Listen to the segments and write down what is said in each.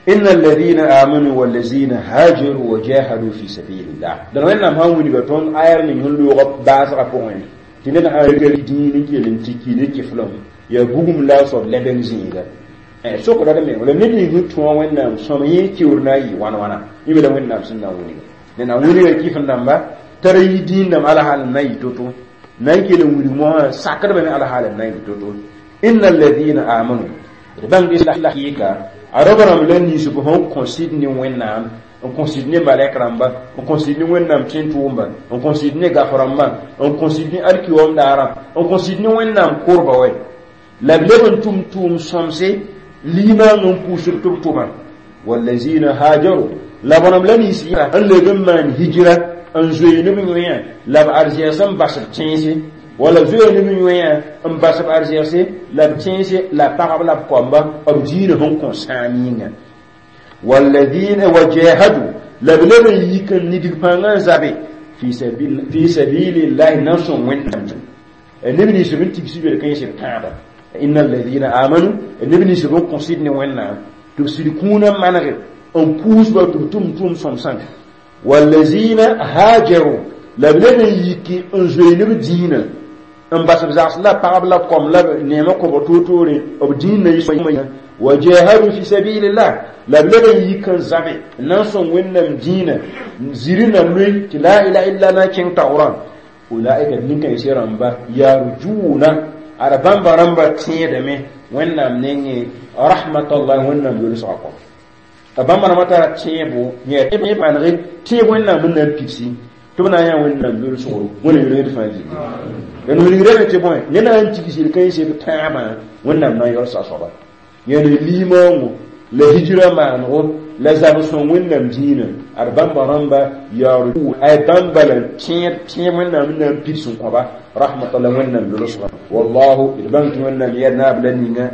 إن الذين آمنوا والذين هاجروا وجاهدوا في سبيل الله دان wẽnnaam sã n wilga tõnd ayar ning sẽn loog baasgã pʋgẽ tɩ ned sã n dĩin n kell n tɩ ki ne kɩflem yaa bugum la a soab lebeng zĩiga sokda d me wala ned ning sẽn tõa wẽnnaam sõm yẽ kiuur na n yɩ wãn wãna yẽ me la wẽnnaam sẽn na n wilga ned na n wilga kɩf n dãmba tara yi dĩin dãmb ala hal n na n yɩ to-to na n kell n wilg mosã sakdbame ala hal n na n yɩ to-to inna alladhina amanu d bãng la kɩɩka a rab rãmb la ninsb sẽn kõ sɩd ne wẽnnaam n kõ sɩd ne malɛk rãmba n kõ sɩd ne wẽnnaam tẽn-tʋʋmba n kõ sɩd ne gaf rãmbã n kõ sɩd ne alkiwaoom daarã n kõ sɩd ne wẽnnaam korba wɛ la b leb n tʋm tʋʋm sõmse limaang n pʋʋsd tɩ b tʋma wallazina hajaru la b rãmb la nins n leb n maan hijira n zoe ne b yõe la b arzɛgs n bas b tẽense wala zoe ne b yõe n bas b arzɛgse la b tẽense la pagb la b koamba b diinã sẽn kõ sãam yĩnga walladina wajahadu la b leb n yik n nidg pãngã n zabe fi sabilillahi na n sõng wẽnnaam neb nins b n tigs bel kãens b tãaba inna alladina amanu neb nins b n kõ sɩd ne wẽnnaam tɩ b sɩd kũunã manege n puusba tɩ b tʋm tʋʋm sõmsã wallazina hajaru la b leb n yiki n zoe ne b diinã n bas b zags la pagb la kom la neemã kõbg toor-toore b dĩinã yɩ wa jahadu fi sabilillah la b leb n yik n zabe n na n sõng wẽnnaam dĩinã ziri na loe tɩ la ilaha illa na n kẽng taoorã ulaika nin-kãensã rãmba yarjuna ad bãmba rãmba tẽedame wẽnnaam nengẽ rahmatallahi wẽnnaam yolsgã kɔ a bãmba rãmbã tara tẽebo yẽ manege tẽeb wẽnnaam n na n pidsi tɩ b na n yã wẽnnaam yolsgro wẽna yolsd fãa gilli la wilgrame tɩ bõe ned na n tigs yel-kãensẽ b tãabã wẽnnaam na n yolsa soaba yẽne limaoongo la hijra maanego la zab sõng wẽnnaam dĩinã ad bãmba rãmba yaoor ay bãmba la tẽed tẽeb wẽnnaam n na n pids n kõba rahmatullah wẽnnaam yolsgã wallahu d bãng tɩ wẽnnaam yɛd naab la ninga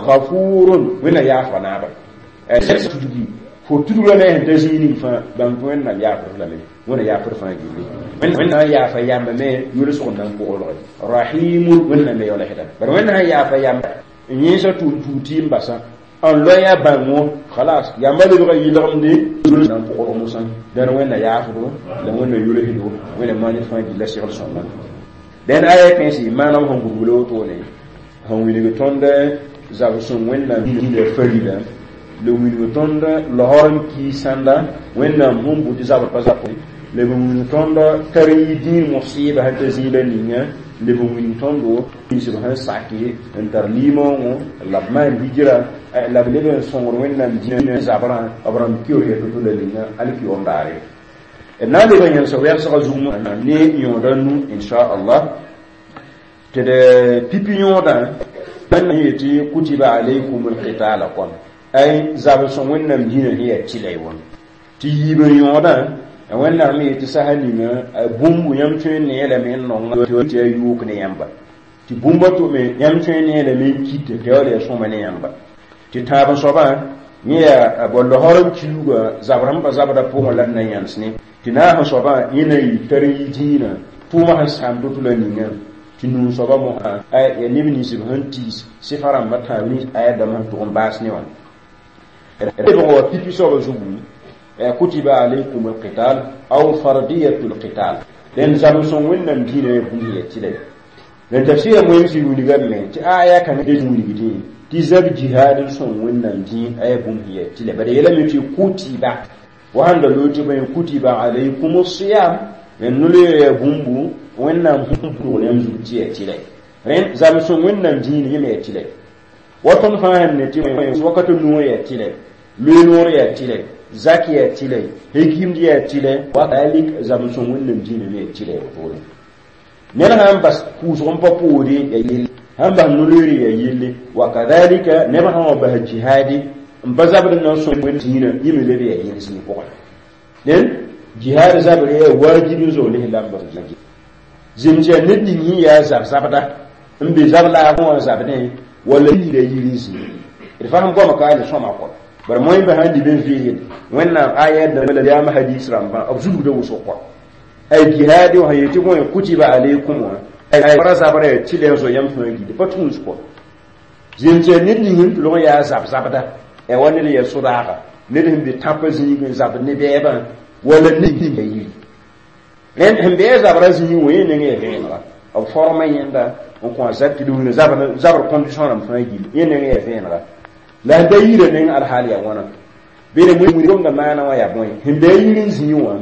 gafurun wẽnnaam yaafga naaba tudgi fo tudg la ne sẽn ta zĩig ning fãa bãng tɩ wẽnnaam yaafd lame wẽnna yaafd fãa gilli wẽnnaam yaafa yamba me yolsg n na n koglge rahimun wẽnnaam me yaoola sẽda bara wẽnnaam sã yaafa yamba n yẽesa tʋʋm tuug tɩ n basa n loya bãngo khalas yamba lebga yɩlgemde na n pʋgd mosã dãn wẽnna yaafdo la wẽnna yolsdo wẽnna maan fãa gilla segl sõmba dẽn aya kẽesɩ maanam sẽn gubla wotone sẽn wilg tõnd zab sõng wẽnnaam dĩinã farila la wilg tõnd laoor n kii sãnda wẽnnaam sẽn bʋ tɩ zabr pa zab la b wilg tõnd tar n yɩ dĩin mosɩɩba sẽn ta zĩig la ninga la b wilg tõndo ninsb sẽn sake n tar limaoongõ la b maan hijra la b leb n sõngr wẽnnaam dĩinã zabrã b rãmb kior ya to-to la ninga alkiyoom daare d na n leb n yẽlsa wɛlsgã zug ne yõoda nu inchallah tɩ d pipi yõodã n yetɩ kutiba alaykum alqitala kõn ay zab sõng wẽnnaam dĩinã sẽn yaa tɩlɛ wã tɩ yiib n yõodã wẽnnaam me yetɩ sasa ninga bũmb yãmb tõe n nee lame n nong tɩ yaa yook ne yãmba tɩ bũmba to me yãmb tõe n nee lame n kit tɩ yaool yaa sõma ne yãmba tɩ tãab n soabã yẽ yaa bõ laosr n kiuuga zabr sẽn pa zabda pʋgẽ la d na yãns ne tɩ naas n soabã yẽ na yɩ tar n yi dĩinã tʋʋmã sẽn sãam to-to la ninga tɩ nuu soabã mosã yaa neb nins b sẽn tiis sɩfa rãmbã tãab nins aya dãmb sẽn tʋg n baas ne wã lebg wa pipi soabã zugu kutiba alaykum alqital aw fardiyatu alqital den zab sõng wẽnnaam dĩinã ya bũmb ya tɩlɛ la tafsɩra moeemsɩ wilgame tɩ aya kãngã de wilgdẽ tɩ zab jihad n sõng wẽnnaam dĩin aya bũmb ya tɩlɛ bala yeelame tɩ kutiba wa sãn da loog tɩ bõe kutiba alaykum siyam n nol ya bũmbu wẽnnaam sẽn pʋgl yãmb zug tɩ ya tɩlɛ rẽnd zab sõng wẽnnaam dĩin yẽ me ya tɩlɛ wa tõnd fãa sẽn ne tɩ wakat nuo ya tɩlɛ loe noor ya tɩlɛ zak ya tɩlɛ hekimd ya tɩlɛ wa zab sõng wẽnnaam dĩinã me ya tɩlɛ wotone ned sãn bas pʋʋsg n pa poore ya yelle sãn bas no-loeere ya yelle wa kadhalika neb sã wa bas jihadi n pa zabd n na n sõng wẽnd dĩinã yẽ me leb ya yel zĩig pʋgẽ dẽn jihad zabr yaa wajib n zoog lislaambã zemd yaa ned ning yẽ yaa zab-zabda n be zab laagẽ wã zabdẽ wala yira yir n zĩig d fasem goama ka le sõma kɔ bara moẽmba sãn lib n veegd wẽnnaam aya la yaam hadis rãmbã b zulgda wʋsg kɔ ay jihadi wã yetɩ bõe kutiba alaykum wã ay ra zabra yaa tɩlɛ n zo yãmb fãa gilli pa tũus kɔ zemd yaa ned ning n tʋlg n yaa zab-zabda E wa ned ya sʋdaaga ned sẽn be tãpã zĩig n zabd ne bɛɛbã wala ned ninga yiri rẽnd sẽn be a zabra zĩig wã yẽ neng yaa vẽenega b forma yẽnda n kõ a zab tɩ d zabr condition rãmb fãa gill yẽ neng yaa vẽenega la sẽn be a yirã neng alhaal yaa wãna bere wĩnga gomda maana wã yaa bõe sẽn be a yir n zĩig wã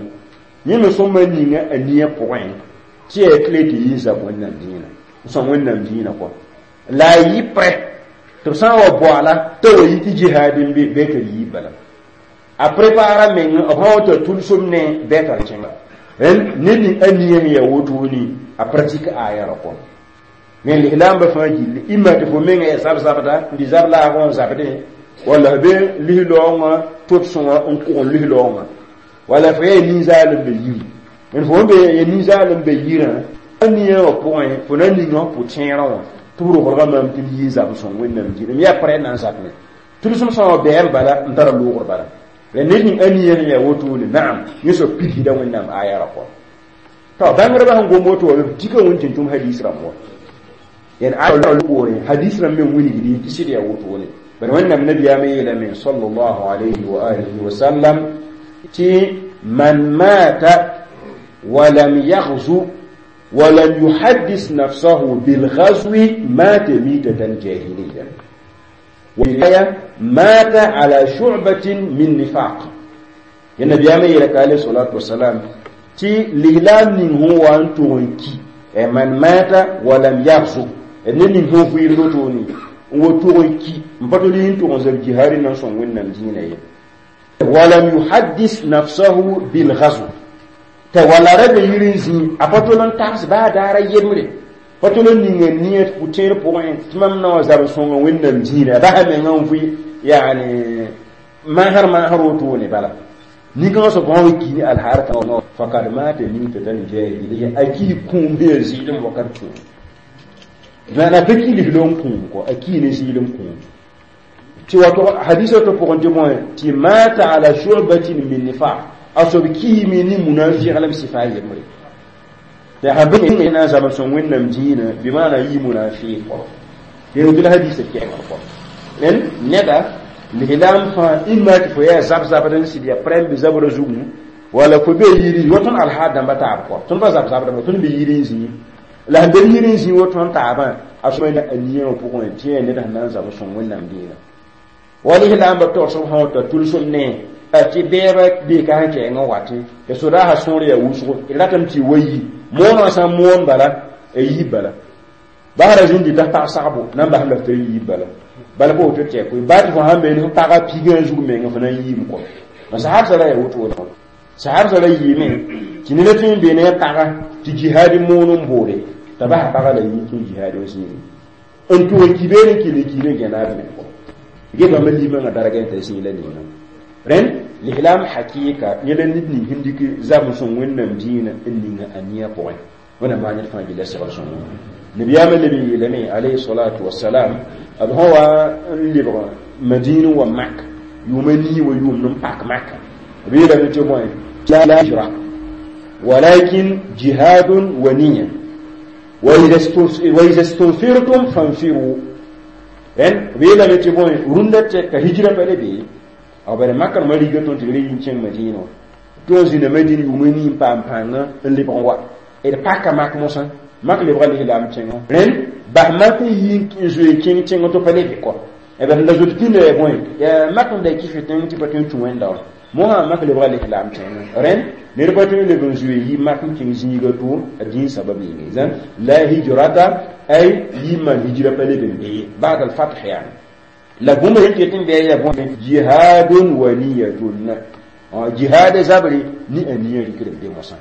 yẽ me sõma ninga a nia pʋgẽ tɩ yaa tɩ le tɩ yɩ zab wẽnnaam dĩinã n sõm wẽnnaam dĩinã kɔ la a yɩ prɛ tɩ b sã n wa boaala t'a wa yi tɩ jihaad n be bɩ tɩ d yiib bala a prépara meng b sã wa t'a tʋlsem ne bɩ t'a kẽnga ned ning a nia sẽn yaa wotone a pratique aya ra kɔ me lislaambã fãa gilli imma tɩ fo menga yaa zab-zabda n dɩ zab laagã n zabdẽ walla f be lislaoongã tʋd-sõngã n kʋg n lislaoongã walla fo yaa nin-zaal n be yiri n fo be ya nin-zaal n be yirã a nia wã pʋgẽ fo na ninga f pʋ-tẽerã wã tɩ b roglga maam tɩ m yɩ n zab n sõng wẽnnaam dĩinã m yaa prɛ na n zabme tʋlsem sã wã bɛɛm bala n tara loogr bala la ned ning a nia sẽn yaa wotone naam yẽ soab pidsda wẽnnaam aya ra kɔ tɩ bãngdbã sẽn gom woto wa b dika wẽn tɩ tʋm hadis rãmb wa yani a poorẽ hadis rãmb me wilgdi tɩ sɩd yaa wotone bari wẽnnaam nabiyaamã yeelame sallallahu alayhi wa alihi wa sallam tɩ man mata ولم يغزو ولم يحدث نفسه بالغزو مات ميتة جاهلية ورواية مات على شعبة من نفاق النبي عليه الصلاة والسلام تي لهلام نين هو أن كي من مات ولم يغزو نين هو في لوتوني وتونكي مبتولين تونزل جهاري نانسون وين دينه ولم يحدث نفسه بالغزو t'a wala ra be yir n zĩ a pa tol n tags baa daara yembre pa tol n ninga nia pʋ-tẽer pʋgẽ tɩ mam na wa zab n sõnga wẽnnaam zĩida a basa menga n vʋɩ yaani maasr maasr wotone bala nin-kãngã soab sã wa ki ne alhaar kãngã fakad maata mitatan jahiliya a kii kũum sẽn yaa zɩɩlem wakat kũum maana pa ki lislo n kũum kɔ a kii ne zɩɩlem kũum tɩ wato hadisa to pʋgẽ tɩ bõe tɩ mata ala shubatin min nifaq a soab kiime ne munafiq sifa yembre tɩ sã bẽ na n zab n sõng wẽnnaam dĩinã bɩ maana yɩ munafiq kɔ tɩ la hadisa kɛɛngr kɔ rẽnd neda lislaam fãa imma tɩ fo yaa zab-zabd n sɩd yaa prɛm bɩ zabra zugu wala fo be yiri wa tõnd alhaad dãmba taab kɔ tõnd pa zab-zabdame tõnd be yiri n zĩi la sẽn be yiri n zĩi wa tõnd taabã a sõma a nia wã pʋgẽ tɩ yaa ned sẽn na n zab n sõng wẽnnaam dĩinã wa lislaambã tagsb sã wa ta tʋlsem ne tɩ bɛɛba beeka sẽn kɛɛngã watẽ tɩ sodaasã sõor yaa wʋsgo d ratame tɩ wa yi moonã sã n moon bala a yiib bala basra zĩndi t'a pag sagbo na n basam la f tɩ yiib bala bala pa woto tɩ baa tɩ fo sãn be fo pagã pigã zug menga fo na n yiim kɔ sahab sã ra yaa wotone sahab sã ra yɩɩme tɩ neda tõe n be ne a pagã tɩ jihaad moon n boode t'a basa pagã la yɩ kẽ jihaad wã zĩigi n tʋg n ki beene n kell n kiime gẽnaab me kɔ ge bãmba limãngã dargẽ t'a zĩig la ninga rẽnd lislaam hakɩɩka yẽ la ned ning sẽn dɩk zab n sõng wẽnnaam dĩinã n ninga a nia pʋgẽ wẽnnaam maa ned fãa gilla segl sõngo nabiyaamã leb n yeelame alayhi salatu wasalam b sã wa n lebg madin wa mak yʋʋma nii wa yʋʋmd n pak maka b yeelame tɩ bõe la hijra walakin jihadun wa niya wa iza stunfirtum fanfiru rẽnd b yeelame tɩ bõe rũndã tɛk ka hijra pa le bee a bare makar ma riga tõnd tɩ d re yĩn kẽng madina wã tɩ wã zĩna madina yʋʋma nii n paam pãnga n lebg n wa d paka mak mosã mak lebga lislaam tẽngã rẽnd bas mak n yi n zoe kẽng tẽng tɩ pa le bɩ kɔ b la zoet pĩnda yaa bõe yaa mak n da kɩf tẽng tɩ pa tõe n tũ wẽnda wã mosã mak lebga lislaam tẽngã rẽnd ned pa tõe n leb n zoe yi mak n kẽng zĩiga to a dĩin sabab yĩnga zãn la hijrata ay yɩ maan hijra pa leb n bee ba'd al-fath yaani la bũmb sẽn ket n bɩ yaa bõe jihadun wa niyatun jihad zabre ni a niya rikr n be mosã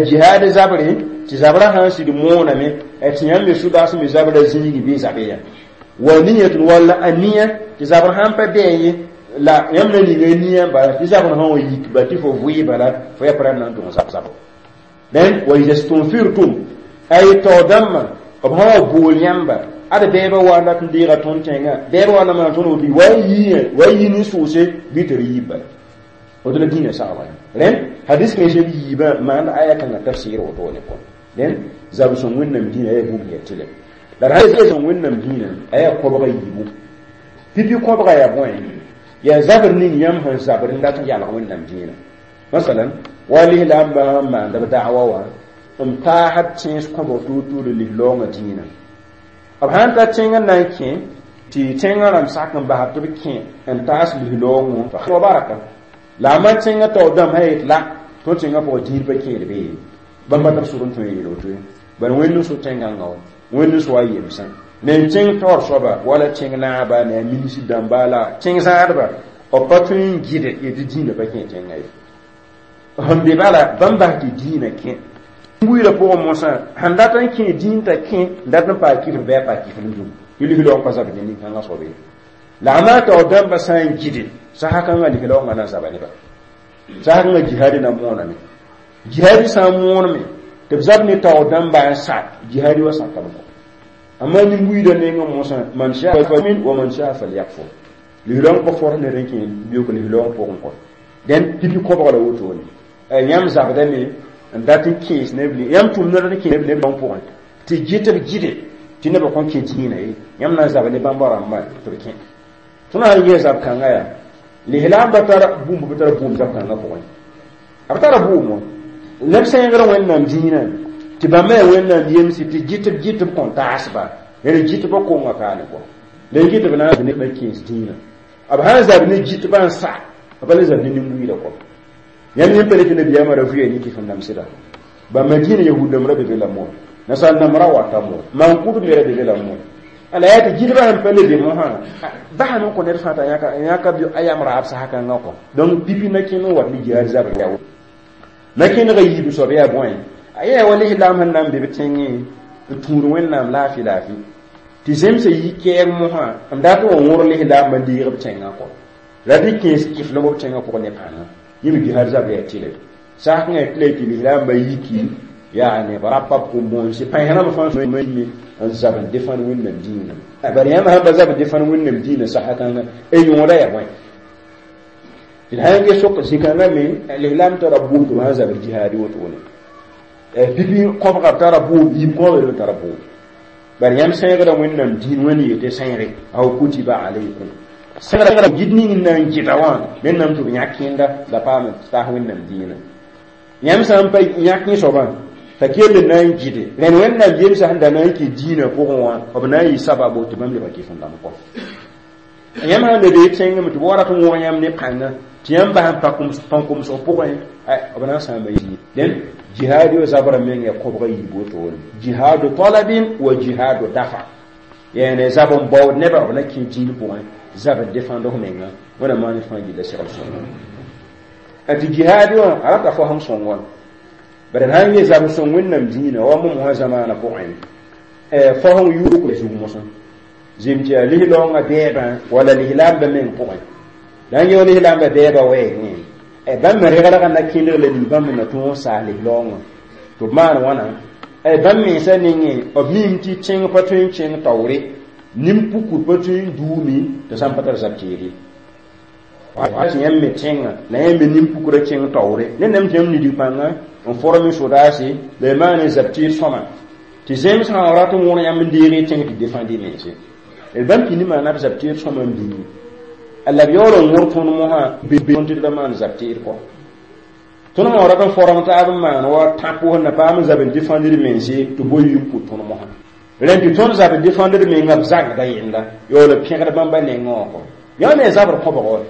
jihad zabre tɩ zabrã sã n sɩd mooname tɩ yãmb me sʋdaas me zabra zĩigi bɩ zabe ya wa niyatun walla a niya tɩ zabr sãn pa bɩ ye la yãmb na ninga niya bala tɩ zabr sã wa yik ba tɩ fo vʋɩ bala fo ya prɛm na n tʋg zab-zabo dẽn wa iza stunfirtum ay tao dãmbã b sã wa bool yãmba ad bɛɛbã wa n dat n deega tõnd tẽngã bɛɛbã wa na maan tõnd woto wa yɩ wa yɩ nin-sʋʋse bɩ tɩ d yiib bala woto la dĩinã sagba rẽnd hadis kãensã b yiibã maand aya kãngã tafsɩɩr wotone kɔ rẽnd zab-sõng wẽnnaam dĩinã yaa bũmb ya tɩlɛ la d sã sõng wẽnnaam dĩinã a yaa kõbga yiibu pipi kõbga yaa bõe Yaa zabr ning yãmb sẽn zabr n dat n yalg Wẽnnaam dĩinã. Masalan, wa lislaambã sẽn maand b da'wa wã n paasd tẽns kõbg tuur-tuur lislaoongã dĩinã. B sãn ta tẽng n na n kẽ tɩ tẽngã rãmb sak n basb tɩ b kẽ n taas lislaoongõ wa baraka. La a man tẽngã taoor dãmb sã yet la tõnd tẽngã pʋgã dĩin pa kẽed be ye. Bãmb pa tar sor n tõe n yeel woto ye. Bala Wẽnd n so tẽn-gãngã wã, Wẽnd n so a yemsã. Ne tẽng taoor soaba wala tẽng naaba ne a minisir dãmba la tẽng zãadba b pa tõe n gɩd yetɩ dĩinã pa kẽ tẽngã ye. Sẽn be bala bãmb bas tɩ dĩinã kẽ. Buiidã pʋgẽ mosã sẽn dat n kẽ dĩin t'a kẽ n dat n paa kifr bɩ a paa kifr n dũm tɩ lislaoong pa zabd ne nin-kãngã soab ye. La a maa taoor dãmbã sã n gɩde sasa kãngã lislaoongã na n zaba neba. Sasa kãngã jihaadi na mooname. Jihaadi sã n mooname tɩ b zab ne taoor dãmba n sak jihaadi wa sakame kɔ. Amma nin-buiidã nengẽ mosã man shaa falyu'min wa man shaa falyakfur. Lislaoong pa fors ned n kẽ biʋk lislaoong pʋgẽ kɔ. Dẽn pipi kobg la wotone. Yãmb zabdame n dat n kẽes neb yãmb tʋmd dat n kẽes neb pʋgẽ tɩ gɩ tɩ b gɩde tɩ nebã kõn kẽ dĩinã ye. Yãmb na n zaba ne bãmba rãmbã tɩ b kẽ. Tõnd sã n ges zab-kãngã yaa lislaambã tara bũmb b tara bʋʋm zab-kãngã pʋgẽ. B tara bʋʋm wã. Neb sẽegr Wẽnnaam dĩinã tɩ bãmba yaa Wẽnnaam yemsi tɩ gɩ tɩ b gɩ tɩ b kõn taasba rẽnd gɩtbã konga kaane kɔ. La y gɩtb na n neb kẽes dĩinã. B sã n zab ne gɩtbã n sa b pa le zab ne nin-buiidã kɔ. Yãmb yẽ pa le tɩ nabiyaamã ra vʋya ne kɩf n namsda. Bãmba dĩinã yahud dãmb ra be be la moon. Nasaar dãmb ra wata moon. Maan-kʋdb me ra be be la moon. La yaa tɩ gɩdbã sẽn pa le be mosã basame n kõ ned fãa t'a yãka a yam raab sasa kãngã kɔ. Donc pipi na kẽnd n wat ne jihaad zabr yaa na kẽndga yiib soab yaa bõe a yaa wa lislaam sẽn na n be b tẽngẽ n tũud Wẽnnaam laafɩ laafɩ tɩ zemsã yi kɛɛg mosã n dat n wa wõr lislaambã n deeg b tẽngã kɔ. La tɩ kẽes kɩflem b tẽngã pʋgẽ ne pãnga. Yẽ me jihaad zabr yaa tɩlɛ. Sak kãngã yaa tɩlɛ tɩ lislaambã yiki yaa neb rapa b kom-bõonse pãens rãmb fãa me n zab n defãn Wẽnnaam dĩinã. Bari yãmb sãn pa zab n defãn Wẽnnaam dĩinã sasa kãnga y yõoda yaa bõe. Tɩ d sã n ges sok zĩ-kãngã me lislaam tara bʋʋm tɩ b sãn zabr jihaadi wotone. Pipi kõbga b tara bʋʋm, yiib kõbga b tara bʋʋm. Bari yãmb sẽegrã Wẽnnaam dĩin Wẽnd yetɩ sẽegre aw kutiba alaykum. Sẽegrã gɩd ning n na n gɩda wã Wẽnnaam tɩ b yãk kẽnda la paam n taas Wẽnnaam dĩinã. Yãmb sã n pa yãk yẽ soabã t'a kell n na n gɩde rẽnd Wẽnnaam yemsã sẽn da na n kɩ dĩinã pʋgẽ wã b na n yɩ sababo tɩ bãmb lebg kɩf n dãmb kɔ. Yãmb sãn le bee tẽngame tɩ b wa rat n wõg yãmb ne pãnga tɩ yãmb bas n pãn-komsg pʋgẽ b na n sãama yii. Dẽn jihaad yo zabrã meng yaa kobga yiib wotone. Jihaadu talabin wa jihaadu dafa. Yaa ne zab n baood nebã b na kẽ dĩin pʋgẽ zab n defãnd f menga Wẽnnaam maan fãa gilla segl sõngo. Tɩ jihaad wã a rata fo sẽn sõng wã. Bari sãn n zab sõng Wẽnnaam dĩinã wa mosã zamaanã pʋgẽ fo sẽn yʋʋk zug mosã zem tɩ yaa lislaoongã bɛɛbã wala lislaambã meng pʋgẽ. La n yẽ lislaambã bɛɛbã wɛɛngẽ bãmb me regrgã na kẽndg la ning bãmb na tõog n saas lislaoongã tɩ b maan wãna bãmb mensã nengẽ b miime tɩ tẽng pa tõe n kẽng taoore nin-pukur pa tõe n duumi tɩ sã n pa tar zab teed ye. Tɩ yãmb me tẽngã la yãmb me nin-pukurã kẽng taoore ned nam tɩ yãmb nidg pãnga n forme sodaase la y maan zab teed sõma tɩ zems sã n rat n wõr yãmb n deeg y tẽng tɩ defãnd y mense. B bãmb pĩnd maana b zab teed sõma n bĩngi. La b yaool n wõr tõnd mosã be tɩ d ra maan zab teed kɔ. Tõnd sã rat n form taab n maan wa tãpo sẽn na paam n zab n defãnd d mense tɩ boe yɩ n pʋt tõnd mosã. Rẽnd tɩ tõnd zab n defãnd d menga b zagda yẽnda yaool n pẽgd bãmba nengẽ wã kɔ. Yã me zabr kõbg wa.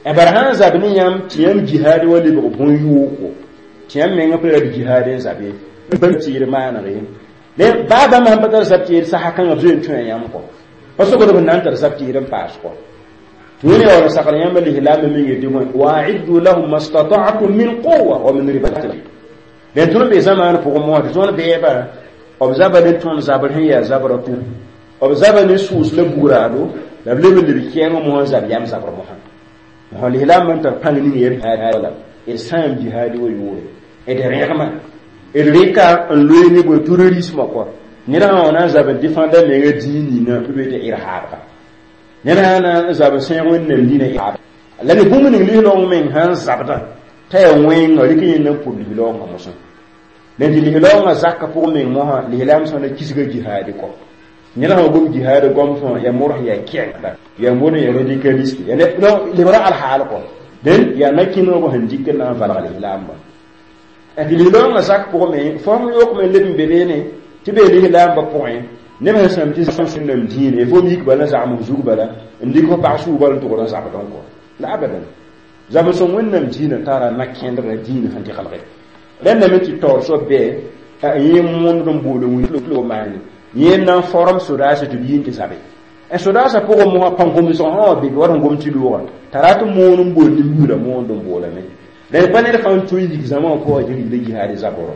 Bara sã n zab ne yãmb tɩ yãmb jihaad wa lebg bõn-yooko tɩ yãmb mengã pa rat jihaad n zabe bãmb tɩɩr maaneg ye. Baa bãmb sãn pa tar zab tɩɩr sasa kãngã b zoe n tõe yãmb kɔ. Pa sokd b na n tar zab tɩɩr n paas kɔ. Tɩ Wẽnd yaool n sagl yãmb lislaambã meng yetɩ bõe wa-a'iddu lahum ma stata'tum min quwwa wa min ribatil. Rẽnd tõnd be zamaan pʋgẽ mosã tɩ tõnd bɛɛba b zaba ne tõnd zabr sẽn yaa zabra tʋ b zaba ne sʋʋs la bugraado la b leb n leb kɛɛngã mosã n zab yam zabr mosã. Mosã lislaambã n tar pãng ning yaa la d sãam jihaadi wa yʋʋre d rẽgma d rɩka n loe ne bõe terrorisme kɔ. Ned sã wa na n zab n defãnda menga dĩin ningã tɩ b tɩ irhaabga. Ned sã na n zab n sẽeg Wẽnnaam dĩinã irhaab. La ne bũmb ning lislaoong meng sã n zabdã t'a yaa wẽnga rɩk yẽnd n pʋd lislaoongã mosã. Dẽn tɩ lislaoongã zakã pʋg meng mosã lislaam sã na kisga jihaadi kɔ. Ned sã gom jihaad goam fãa yaa modg yaa kɛngda yaa modg yaa radicaliste yaa donc lebra alhaal kɔ dẽn yaa na-kẽnegã sẽn dɩk n na n valg lislaambã tɩ lislaoongã zak pʋgẽ me fo sẽn yokme leb n be beene tɩ bee lislaambã pʋgẽ neb sẽn sãam tɩ sẽnam dĩine fo yik bala n zagem f zug bala n dɩk fo pag sʋʋg bala n tʋgd n zabdẽ kɔ la abadan zab-sõng Wẽnnaam dĩinã tara na-kẽndgã dĩinã sẽn dɩgelge rẽndame tɩ taoor soab bɩ yẽ moond n bool n maane yẽ na n form sodaasã tɩ b yi n tɩ zabe sodaasã pʋgẽ mosã pãn-komsg sã wã be wa sẽn gom tɩ loogã t'a rat n moon n bool nin-buudã moond n boolame rẽnd pa ned fãa n tõe n yik zãma wã pʋgã tɩ yikda jihaad zabr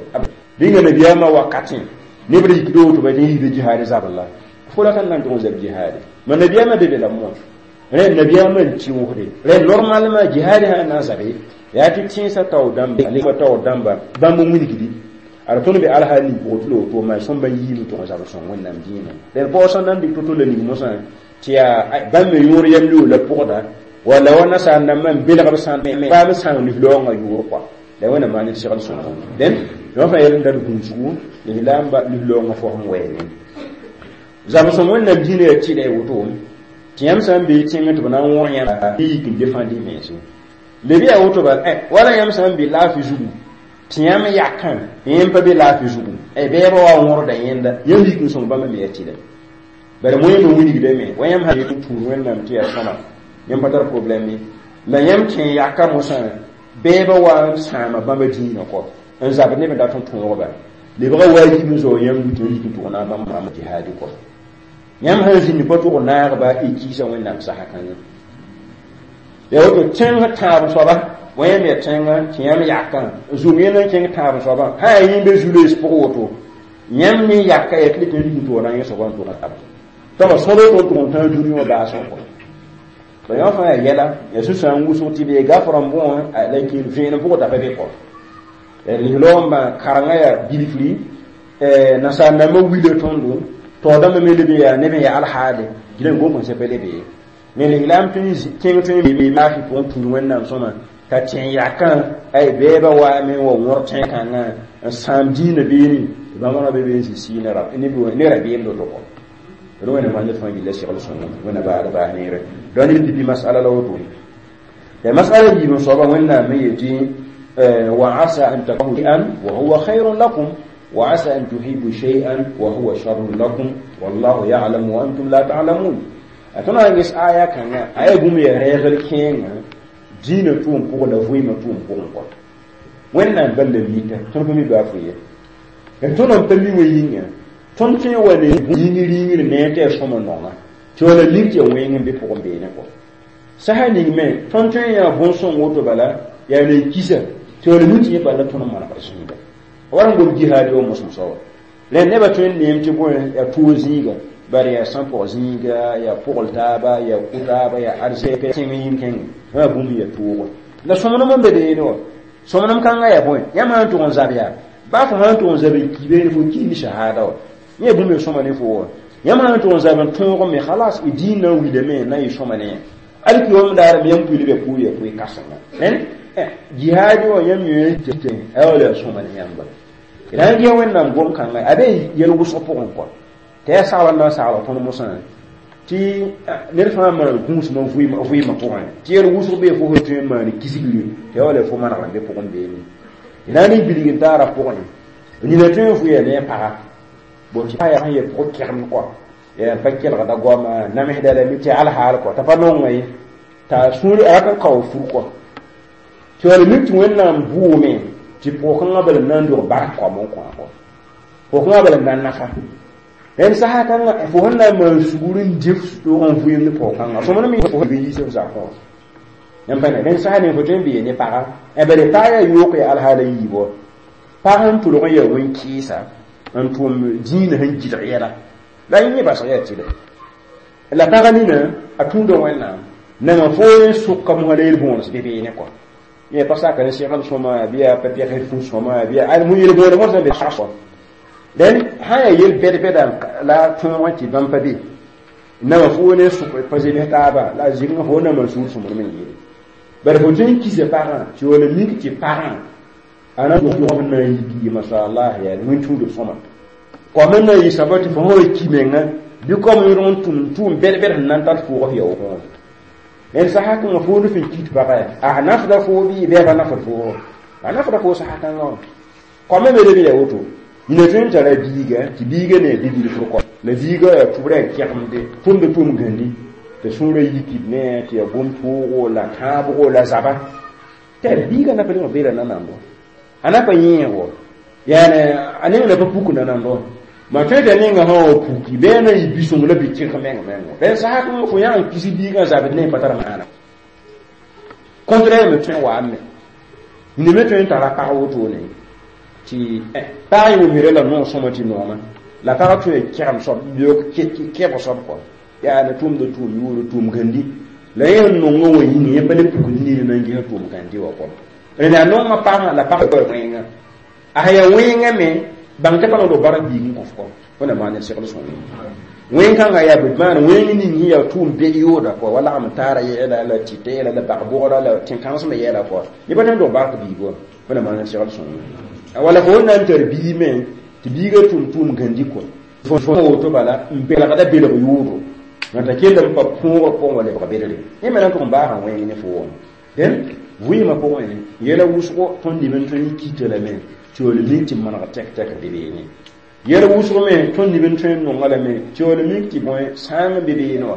rĩnga nabiyaamã wakatẽ neb ra yikda woto ba tɩ yikda jihaad zabr la fo la ka na n tʋg n zab jihaade ma nabiyaamã be be la moon rẽnd nabiyaamã n tɩʋsde rẽnd normalement jihaad sã n na n zabe yaa tɩ tẽnsã taoor dãmba taoor dãmba bãmb n wilgdi ad tõnd be alhaal ning pʋgẽ tɩ la woto maa sõmba yiime tʋg n zab sõng Wẽnnaam dĩinã rẽnd paoog sã n na n dɩk to-to la ning mosã tɩ yaa bãmb me yõor yam loog la pʋgda walla wa nasaar dãmbã n belg b sãn paam sãang lislaoongã yʋʋr kɔa la Wẽnnaam maan d segl sõngo dẽn yõ fãa yɛl n dat gũusgu lislaamba lislaoongã fosem wɛɛne zab-sõng Wẽnnaam dĩinã yaa tɩlɛ woto tɩ yãmb sã n bee tẽngẽ tɩ b na n wõg yãmb yik n defãnd y mense leb yaa woto bala wala yãmb sã n be laafɩ zugu tɩ yãmb yakã yẽm pa be laafɩ zugu bɛɛbã wa wõrda yẽnda yãmb yik n sõng bãmba me yaa tɩlɛ bala moẽmbe wilgdame wa yãmb sã n tuur Wẽnnaam tɩ yaa sõma yãmb pa tar problème ye la yãmb kẽ yaka mosã bɛɛbã wa n sãama bãmba dĩinã kɔ n zabd neb n dat n tõogba lebga waajib n zao yãmb tɩ yik n tʋg na bãmb rãmb jihaadi kɔ yãmb sãn zĩnd pa tʋg naagba y kiisa Wẽnnaam sasa kãngã yaa woto tẽng tãab soaba wa yãmb yaa tẽngã tɩ yãmb yakã n zʋm yẽnd n kẽng tãab soabã sã yaa yẽ be zu-loees pʋgẽ woto yãmb ne yaka yaa tɩ le tɩ yik n tʋg na yẽ soaba n tʋg tab tõga sõdo tɩ tʋg n tãag dũni wã baasg kɔ tɩ yõ fãa yaa yɛla yaa sũ-sãam wʋsg tɩ bee gafr n bõe la kɩ vẽenem pʋgẽ t'a pa be kɔ lislaoambã karengã yaa bilfri nasaar dãmbã wila tõndo taoor dãmbã me leb n yaa neb n yaa alhaale gila n gom kõn sẽpa lebe ye me lislaam tẽng tõe n laafɩ pʋgẽ tũud Wẽnnaam sõma t'a tẽ yakã ay bɛɛbã waame n wa wõr tẽn-kãngã n sãam dĩinã beene tɩ bãmb ra be be n zĩ sɩɩ ne rabeem doto kɔ d Wẽnnaam maan ned fãa gilla segl sõngo Wẽnna baad baas neere donc ned pipi masala la woto la masala yiib n soaba Wẽnnaam me yetɩ wa asa an takrahu shay'an wa huwa khayrun lakum wa asa an tuhibu shay'an wa huwa sharrun lakum wallahu ya'lamu wa antum la ta'lamun a tõnd na n ges aya kãngã a yaa bũmb yaa rɛɛgl kẽengã dĩinã tʋʋm pʋgẽ la vɩɩmã tʋʋm pʋgẽ kɔ Wẽnnaam bal la mika tõnd pa mi baa fo ye tõnd n pa mi wã yĩnga tõnd tõe n wa ne yĩngr yĩngr ne tɩ yaa sõma nonga tɩ wala mik tɩ yaa wẽng n be pʋgẽ beene kɔ sasa ning me tõnd tõe n yaa bõn-sõng woto bala yaa ne kisa tɩ wala mi tɩ yẽ bala tõnd n manegd zĩiga wa n gom jihaad wa mosem soaba rẽnd nebã tõe n neem tɩ bõe yaa toog zĩiga bari yaa sãn-pɔg zĩiga yaa pʋgl taaba yaa kʋ taaba yaa arzɛk tẽng yĩn-kẽngẽ wã bũmb yaa toogo la sõmnem n be beene wã sõmnem kãngã yaa bõe yãmb sã n tʋg n zab yaa baa fo sã n tʋg n zab n ki beene fo ki ne shahada wa yẽ bũmb yaa sõma ne fo wa yãmb sã n tʋg n zab n tõog me halas y dĩin na n wilame na n yɩ sõma ne yã alkiyom daar me yãmb pʋɩ b yaa pʋʋr yaa pʋɩ kãsenga rẽnd jihaadi wã yãmb yõ tɩ a wala yaa sõma ne yãmba d sã n gɩ Wẽnnaam gom kãnga a be yɛl wʋsg pʋgẽ kɔ tɩ yaa sagl n na n sagl tõnd mosã tɩ ned fãa maan gũusmã vɩɩmã pʋgẽ tɩ yɛl wʋsg bee fo sẽn tõe n maan kisgri tɩ yaa wala fo manegr n be pʋgẽ beene d na n ne bilg n taara pʋgẽ nina tõe n vʋya ne a paga bon tɩ paa yaa sẽn yɛ pʋg kɛgemd kɔ n pa kelgda goama namsda lame tɩ alhaal kɔ t'a pa nonga ye t'a sũur a rat n kao fur kɔ tɩ wala mik tɩ Wẽnnaam bʋʋme tɩ pʋg-kãngã bala n na n dog bark koam n kõ a kɔ pʋg-kãngã bala n na n nafa rẽnd sasa kãngã fo sẽn na n maan sugr n dɩ f n vɩɩm ne pʋg-kãngã sõmd me fo yiis f zakẽ wã yãmb pa ne rẽnd sasa ning fo tõe n bee ne paga bala pag yaa yook yaa alhaala yiib wa pag n tʋlg n yaa wẽn-kɩɩsa n tʋm dĩinã sẽn gɩdg yɛla la yẽ basg yaa tɩlɛ la pag nina a tũuda Wẽnnaam nanga fo n sʋka mosã la yel-bõones be beene kɔ yẽ pa saka ne segl sõma bɩ yaa pa pɛgsd fu sõma bɩ yaa mu yel-bõone mosã be sã rẽnd sã yaa yel bɛd-bɛda la tõog n tɩ bãmb pa be nama fo ne sʋk pa zems taaba la a zɩgngã fo nama sũur sõmd me n yeele bala fo tõe n kisa pagã tɩ wala mik tɩ pagã a na dog n na n yik mashallah yaa wẽn-tũudb sõma koam n na n yɩ saba tɩ fo sã wa ki menga Bɩ kom yõdg n tʋm tʋʋm bɛd-bɛd sẽn na n tar fʋʋg f yaoogẽ wã. Ned sasa kãngã foo ne fin kit pagã a nafda foo bɩ bɩ a pa nafd foogo, a nafda foo sasa kãngã wã. Koamã me leb ya woto, yĩna tõe n tara biiga tɩ biiga ne a bi-bilfr kɔ la biiga yaa tʋbrã yaa kɛgemde tʋmda tʋʋm gãndi tɩ sũurã yikd ne tɩ yaa gom-toogo la tãabgo la zaba tɩ biiga na pa lebg beela nanando, a na pa yẽego, yaane a neng na pa puk nanando. Ma tõe t'a nenga sã wa puki bɩ a na yɩ bi-sõng la bi-kẽg meng mengo. Rẽnd sasa kãngã fo yã n kis biigã zabd ne pa tar maana. Contraire me tõe n waame. Yĩnda me tõe n tara pag wotone tɩ pag yẽ wʋmsda la noog sõma tɩ nooma la pag tõe n kẽgem soab beoog kẽb soab kɔ yaa ne tʋʋmda tʋʋm yʋʋr tʋʋm gãndi la yẽ sẽn nongã wã yĩnga yẽ pa le pukd nina na n ges tʋʋm gãndi wã kɔ. Rẽnd yaa nongã pagã la pag wẽnga a sẽn yaa wẽnga me bãng tɩ pa nongd b bark biig n kõf kɔ wẽnnaam maan ned segl sõng wẽn-kãngã yaa b maan wẽng ning sẽn yaa tʋʋm bed yooda kɔ wa lagm taara yɛɛla la tɩta yɛla la bag-bʋgra la tẽn-kãensmã yɛɛla kɔ yẽ pa tõe n dog bark biig wã wẽnnaam maan ned segl sõng wala fo na n tar biig me tɩ biigã tʋm tʋʋm gãndi kɔ fo woto bala n belgda belg yʋʋdo t'a kell n pa põogrã pʋgẽ wa lebg bedre yẽ me na n tʋg n baasã wẽng ne fo wã. Dẽn vɩɩmã pʋgẽ yɛla wʋsgo tõnd neb n tõe n kita lame tɩ wall mik tɩ maneg tɛk-tɛk be beene. Yɛl wʋsg me tõnd neb n tõe n nonga lame tɩ wall mik tɩ bõe sãang n be beene wã.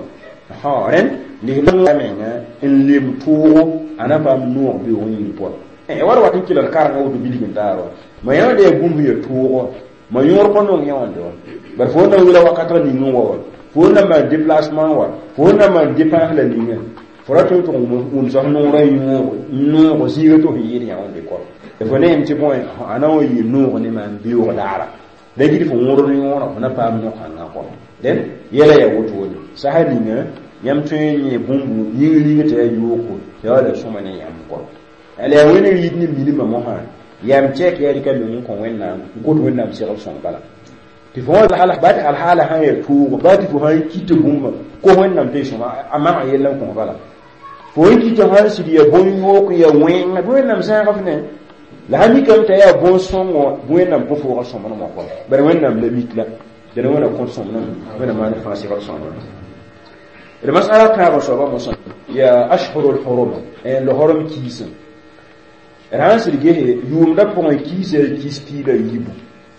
Rẽnd lisla menga n lem toogo a na paam noog beoog yĩng pʋga war wat n kelg karengã woto bilg n taar wã ma yãood yaa bũmb sẽn yaa toogo ma yõor pa nong yãonde wã bar fo na n wila wakatg ning n wa wã fo na maan déplacement wa fo na maan dépense la ninga fo ra tõe n tʋg wʋmsa f noorã noog zĩiga tɩ f yɩɩd yãonde kɔ fo ne yem tɩ bõe a na wa yɩ noog ne maan beoog daara la gid fo wõrd yõorã fo na paam no-kãngã kɔ. Dẽn yɛla yaa wotone sasa ninga yãmb tõe n yẽ bũmb yĩng ring tɩ yaa yooko tɩ yaa la sõma ne yãmb kɔ. La yaa wẽnd yit ne milmã mosã yam tɛk yaa rɩka meng n kõ Wẽnnaam n kot Wẽnnaam segl sõng bala tɩ fo wã ba tɩ alhaala sã n yaa toogo ba tɩ fo sã n kit bũmba ko Wẽnnaam tɩ y sõma a mag yell n kõ bala fo n kit sã n sɩd yaa bõn-yook yaa wẽnga bɩ Wẽnnaam zãag f ne la sã mikame t'a yaa bõn-sõngo Wẽnnaam kõ foogã sõmblmã kɔ bare Wẽnnaam la mik la dẽn Wẽnna kõt sõmblem Wẽnnaam maan fãa segl sõmblem. D masala tãabã soabã mosã yaa ashhurul hurum lohorom kiisem d sãn sɩd gese yʋʋmdã pʋgẽ kiisa kiis piila yiibu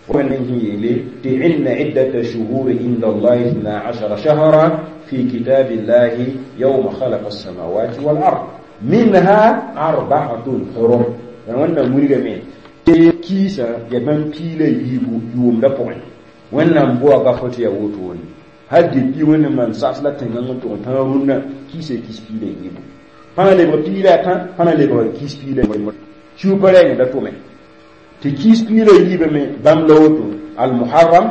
wẽnd sẽn yeele tɩ inna iddata shuhuri inda allahi ithna ashara shahra fi kitabillahi yawma khalaqa alsamawati wal ard minha arba'atun hurum. Wẽnnaam wilgame tɩ kiisã yaa bãmb piila yiibu yʋʋmdã pʋgẽ Wẽnnaam boa gafo tɩ yaa wotone hal depuis Wẽnnaam maan saas la tẽngã n tʋg n tãag rũnnã kiisa kiis piila yiibu pãna lebg piila a tã pãna lebg kiis piila kiu pa rɛɛng da tʋme tɩ kiis piila yiibame bãmb la woto almuharram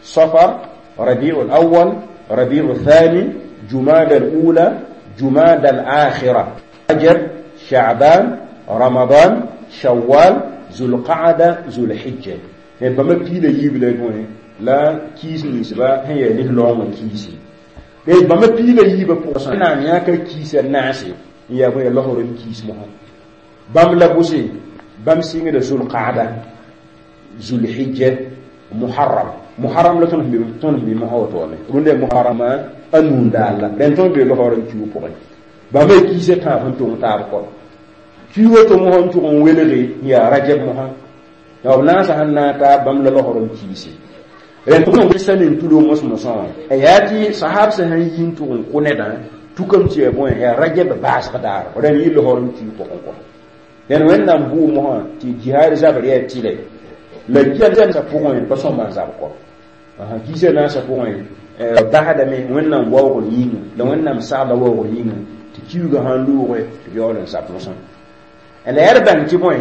safar rabiu alawal rabiu thani jumada alula jumada alakhira rajab sha'ban ramadan shawwal zulqaada zulhijja bãmba piila yiib la bõe la kiis ninsba sẽn yaa lis-laoongã kiisi bãmba piila yiibã pʋgã naam yãka kiisa naase n yaa bõe yaa laoorem kiis mosã bãmb la bʋse bãmb sɩngda zulqaada zulhijja muharram muharram la tõnd sẽn be mosã woto wame rũndã muharrama a nuun daal la rẽnd tõnd be laoorem kiu pʋgẽ bãmba kiisa tãab sẽn tong taab kɔ kiu woto mosã n tʋg n welge n yaa rajab mosã b naasã sẽn naag taab bãmb la laoorem kiise rẽnd tõnd sa nin tulo mos-mosã wã yaa tɩ sahab sã sẽn yi n tʋg n kʋ nedã tukam tɩ yaa bõe yaa rajab baasg daar rẽnd yɩ laoorem kiu pʋgẽ kɔ dẽn Wẽnnaam bʋʋ mosã tɩ jihaad zabr yaa tɩlɛ la kiasa pʋgẽ pa sõma n zab kɔ kiisa naasã pʋgẽ basdame Wẽnnaam waoogr yĩnga la Wẽnnaam sagla waoogr yĩnga tɩ kiuugã sãn loogɛ tɩ b yaool n zab mosã la yaa d bãng tɩ bõe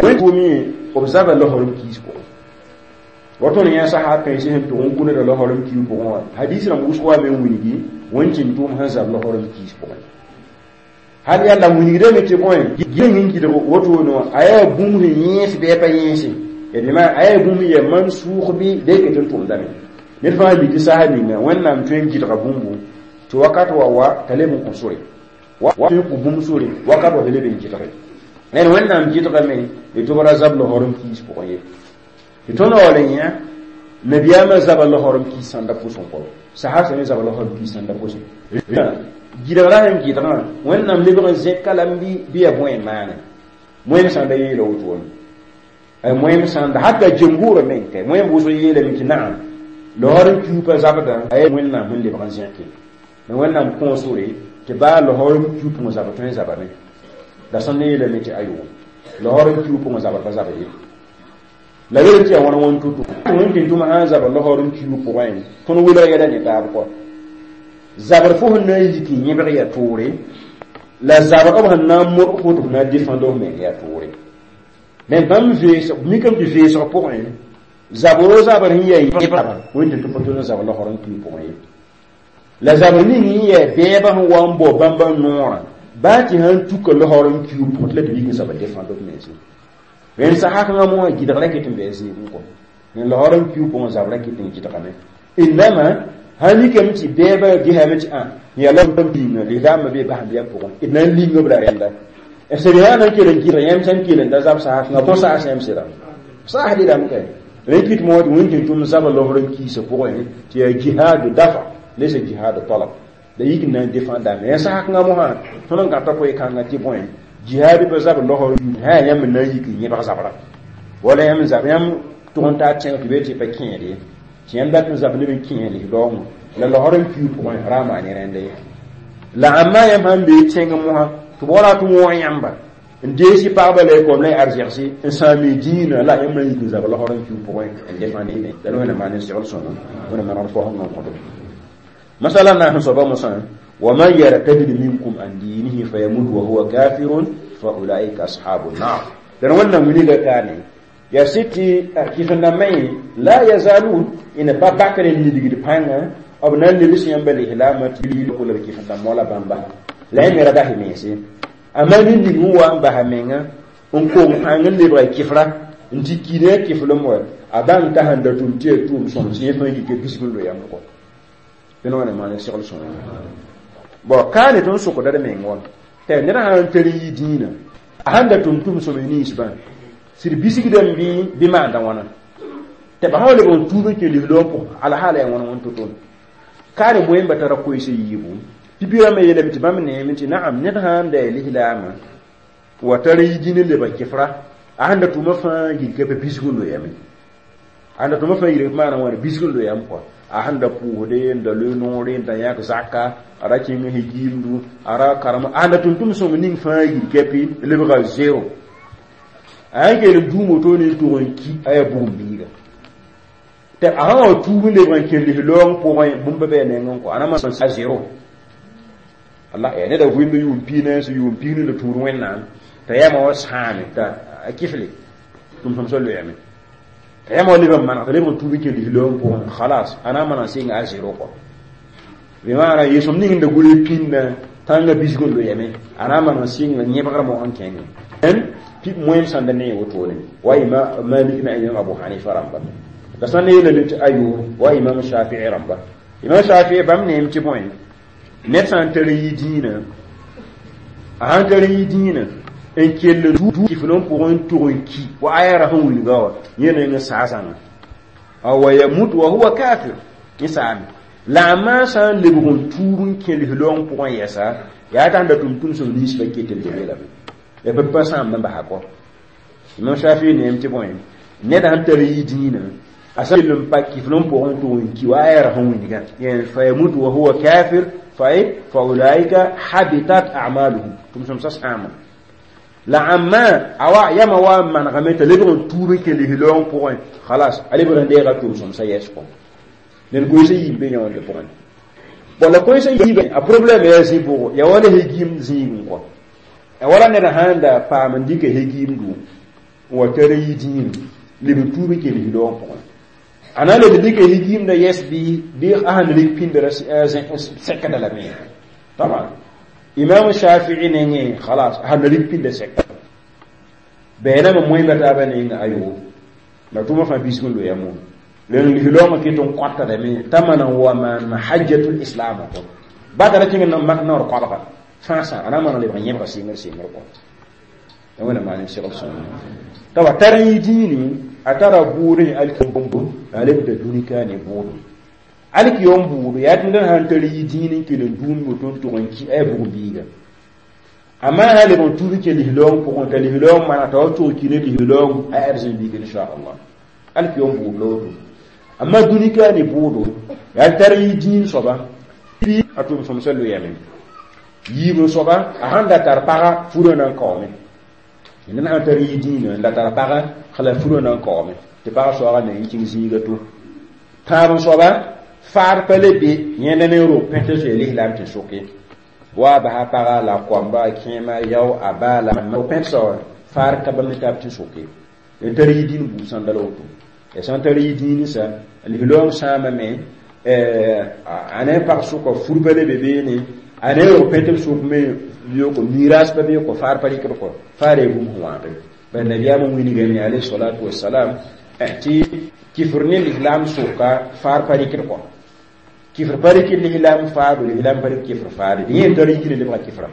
wẽn b zaba laoorem kiis pʋgẽ wa tõnd yã sahab kãensẽ sẽn tʋg n kũ neda laoorem kiis pʋgẽ wã hadis rãmb wʋsg wa me n wilgi wẽn-tɩn tʋʋm sẽn zab laoorem kiis pʋgẽ hal yalla wilgdame tɩ bõe sẽn gɩdg wotone wã a yaa bũmb sẽn yẽes bɩ a pa yẽese bɩ a yaa bũmb yaa man-sʋʋg bɩ da ket n tʋmdame ned fãa mi tɩ sasa ninga Wẽnnaam tõe n gɩdga bũmbu tɩ wakat wa wa t'a leb n kõ sore wa tõe n kõ bũmb sore wakat wa t'a leb n gɩdge rẽnd Wẽnnaam gɩdgame tɩ b ra zab laoorem kiis pʋgẽ ye tɩ tõnd waool n yã Nabiyaamã zaba losr n kis sãnda pʋsẽ kɔ sahab sã zaba losr n kis sãnda pʋsẽ gɩdgra sẽn gɩdgã Wẽnnaam lebg n zẽka lame bɩ yaa bõe n maane moẽm sãn da yeela wotone moẽm sãn da hata jembuurã meng kɛ moẽm wʋsg yeelame tɩ naam losr n kiupa zabdã a Wẽnnaam sẽn lebg n zẽke la Wẽnnaam kõo sore tɩ baa losr n kiu pʋgẽ zabr tõe n zabame la sẽn ne yeelame tɩ ayo losr n kiu pʋgẽ zabr pa zabr ye la yel tɩ yaa wãn wãn tutu wẽn tɩ tʋm sã n zabr losr n kiu pʋgẽ tõnd wilg yɛla ne taab kɔ zabr fo sẽn na n yik n yẽbg yaa toore la zabr b sẽn na n modg fo tɩ f na n défendre f meng yaa toore mais bãmb veesg mikame tɩ veesg pʋgẽ zabr o zabr sẽn yaa yẽbra wẽn tɩ tʋm pa tʋl n zabr losr n kiu pʋgẽ ye la zabr ning n yaa bɛɛbã sẽn wa n bao bãmba noorã baa tɩ sãn tuka losr n kiu pʋgẽ tɩ la tɩ yik n zabr défendre f mense rẽnd sasakãngã mosã gɩdgra ket n bɩ zɩɩm kɔ rẽnd losr n kiu pʋgẽ zabrã ket n gɩdgame innama sãn mikame tɩ bɛɛbã gesame tɩ ã yaa la pĩnga lislaambã bee basẽn pʋgẽ d na n ling b la rẽnda sẽd sã na n kell n gɩdg yãmb sãn kell n da zab sasakãngã bõ saas yãmb sɩda saas dɩdame kɛ rẽ kɩt moog tɩ wẽn tɩ tʋm zaba losr n kiisã pʋgẽ tɩ yaa jihaadu dafa laysa jihaadu talab la yik n na n défendame yã sasakãngã mosã tõnd n gãta koe-kãngã tɩ bõe jihaad pa zabr losr sã yaa yãmb n na n yik n yẽbg zabra wala yãmb zab yãmb tʋg n taa tẽng tɩ bee tɩ pa kẽed ye tɩ yãmb dat n zab neb n kẽes lislaoongẽ la losr n kiu pʋgẽ ra n maan ne rẽnda ye la ãmba yãmb sãn bee tẽng mosã tɩ b wala tɩ wõog yãmba n deesi pagba la y koam la y arzɛgse n sãam y dĩinã la yãmb na n yik n zab losr n kiu pʋgẽ n défendre la Wẽnnaam maan n segl sõma Wẽnnaam manegd faoosem n kõtb masala na sẽn soaba mosã ومن يرتد منكم عن دينه فيموت وهو كافر فأولئك أصحاب النار لأن وانا منيغا كاني يا ستي كيف نمي لا يزالون إن بابكر اللي بانغا أو نان لبس ينبلي هلامة تلي كل كيف نمولا بامبا لا يمرا ده ميسي أما من هو أم بهمينغا n kong pãng n lebga kɩfra n tɩ ki ne a kɩflem wa a bãng t'a sẽn da tʋm tɩ yaa tʋʋm sõm sẽn fãa yike bisg n loyame kɔ tɩ wẽna maan segl sõma bon kaane tõnd sokda d meng wã tɩ ned sã n tar n yi dĩinã a sãn da tʋm tʋm sõm ninsbã sɩd bisgdame bɩ maanda wãna tɩ ba sã wa leb n tuub n kẽ lislaoom pʋgẽ alhaala yaa wãn wãn to-to kaane moẽmba tara koees yiibu tɩ bi rãmbã yeelame tɩ bãmb neeme tɩ naam ned sã n da ya lislaamã wa tar n yi dĩin n lebg kɩfra a sẽn da tʋma fãa yilka pa bisg n loyame a sẽn da tʋma fãa yilka maana wãna bisg n loyame kɔa a sẽn da pʋʋsde n da loe noore n da yãk zaka a ra kẽng hegiimdu a ra karem a sẽn da tʋm-tʋm sõng ning fãa yilkapi lebga zero a sãn kell n duum woto ne n tʋg n ki a yaa bugum biiga tɩ a sã wa tuub n lebg n kẽ lislaoong pʋgẽ bũmb bɩ a nengẽ kɔ a na maan a zero Allah ya neda vɩɩmd yʋʋm piig na yʋʋm piig la tũud Wẽnnaam t'a yama wa sãame t'a a kɩfle tʋm-sõmsã loeeme t'a yama wa leb n maneg t'a leb n tuub n kẽ lislaoong pʋgẽ khalas a na n maan n sɩnga a zero kɔ bɩ maana yesem ning n da gʋls pĩndã tãngã bisg n loeeme a na n maan n sɩnga yẽbgrã mog n kẽngẽ pip moẽm sãn da ne wotone wa imam Malik na imam Abu Hanifa rãmba la sãn ne yeelame tɩ ayo wa imam Shafii rãmba imam Shafii bãmb neem tɩ bõe ned sã n tar n yi dĩinã a sãn tar n yi dĩinã n kell kifl n pʋgẽ n tʋg n ki wa aya ra sẽn wilga wa yẽ neng n saa zãnga wa yamut wa huwa kafir yẽ saame la a maa sã n lebg n tuub n kẽ lislaoong pʋgẽ yɛsa yaa t'a sẽn da tʋm tʋm-sõm nins pa ket n lebe lame ya pa pa sãamd n basa kɔ imam Shafi neem tɩ bõe ned sãn tar n yi dĩinã a sã kell n pa kifl n pʋgẽ n tʋg n ki wa aya ra sẽn wilga fa yamut wa huwa kafir fa ulaika habitat a'maluhum tʋm-sõmsã sãama la ãmma awa yama wa n manegame t'a lebg n tuub n kẽ lislaoong pʋgẽ khalas a lebg n deega tʋm-sõmsã yɛs kɔ ned koeesã yiib be yõonde pʋgẽ bon la koeesã yiib a problème yaa zĩ bʋgo yaa wala hegiim zĩigẽ kɔ a wala ned sãn da paam n dɩka hegiimdu n wa tar n yi dĩinã leb n tuub n kẽ lislaoong pʋgẽ a na n leb n dɩka hegiimdã yɛs bɩ a sãn rig pĩndra sɛkda lame taban imam Shafii nengẽ khalas a sãn rig pĩnda sɛka bɛɛname moẽmba taabã neng ayo la tʋʋmã fãa bisg n loeya moon len lislaoongã ket n kõtdame t'a maan n wa maan hajjatul islam kɔ ba tara kẽng n mak naoor koabga fãasã a na n maan n lebg yẽbga sɩngr sɩngr kɔ Wẽnnaam maan n segl sõngo t'a wa tar yɩ dĩini a tara bʋʋd alkibõmbo a lebda dũnika ne bʋʋdo alkiyom bʋʋdo yaa tɩ ned sãn tar yɩ dĩin n kell n dũum woto n tʋg n kɩ a bug biiga amma sã leb n tuub n kell lislaoong pʋgẽ t'a lislaoong mana t'a wa tʋg ki ne lislaoong a arzẽn biig inchallah alkiyom bʋʋd la woto amma dũnika ne bʋʋdo yaa tar yɩ dĩin soaba a tʋm sõmsã loeame yiib n soaba a sãn da tar paga furã na n kaoome ned sãn tar yɩ dĩinã n da tar paga la furã na n kaoome tɩ pagã soaagã na yɩ kẽng zĩiga to tãab n soaba faad pa le be yẽnda ne rog pẽt zoe lislaam tɩ soke wa basa paga la koamba a kẽema yao a baa la pẽtsa wã faar ka bãmb ne taab tɩ soke n tar yɩ dĩin buud sãnda la woto ya sãn tar yɩ dĩin sã lislaoong sãamame a ne pag sʋka fur pa le be beene a ne rog pẽt b sʋk me yoko miras pa be ko faar pa rɩkd kɔ faar yaa bũmb sẽn wãagre bala nabiyaamã wilgame alayhi salatu wasalam tɩ kifr ne lislaam sʋka faar pa rɩkd kɔ kifr pa rɩkd lislaam faado lislaam pa rɩk kifr faade dẽ yẽ tar yikre lebga kifra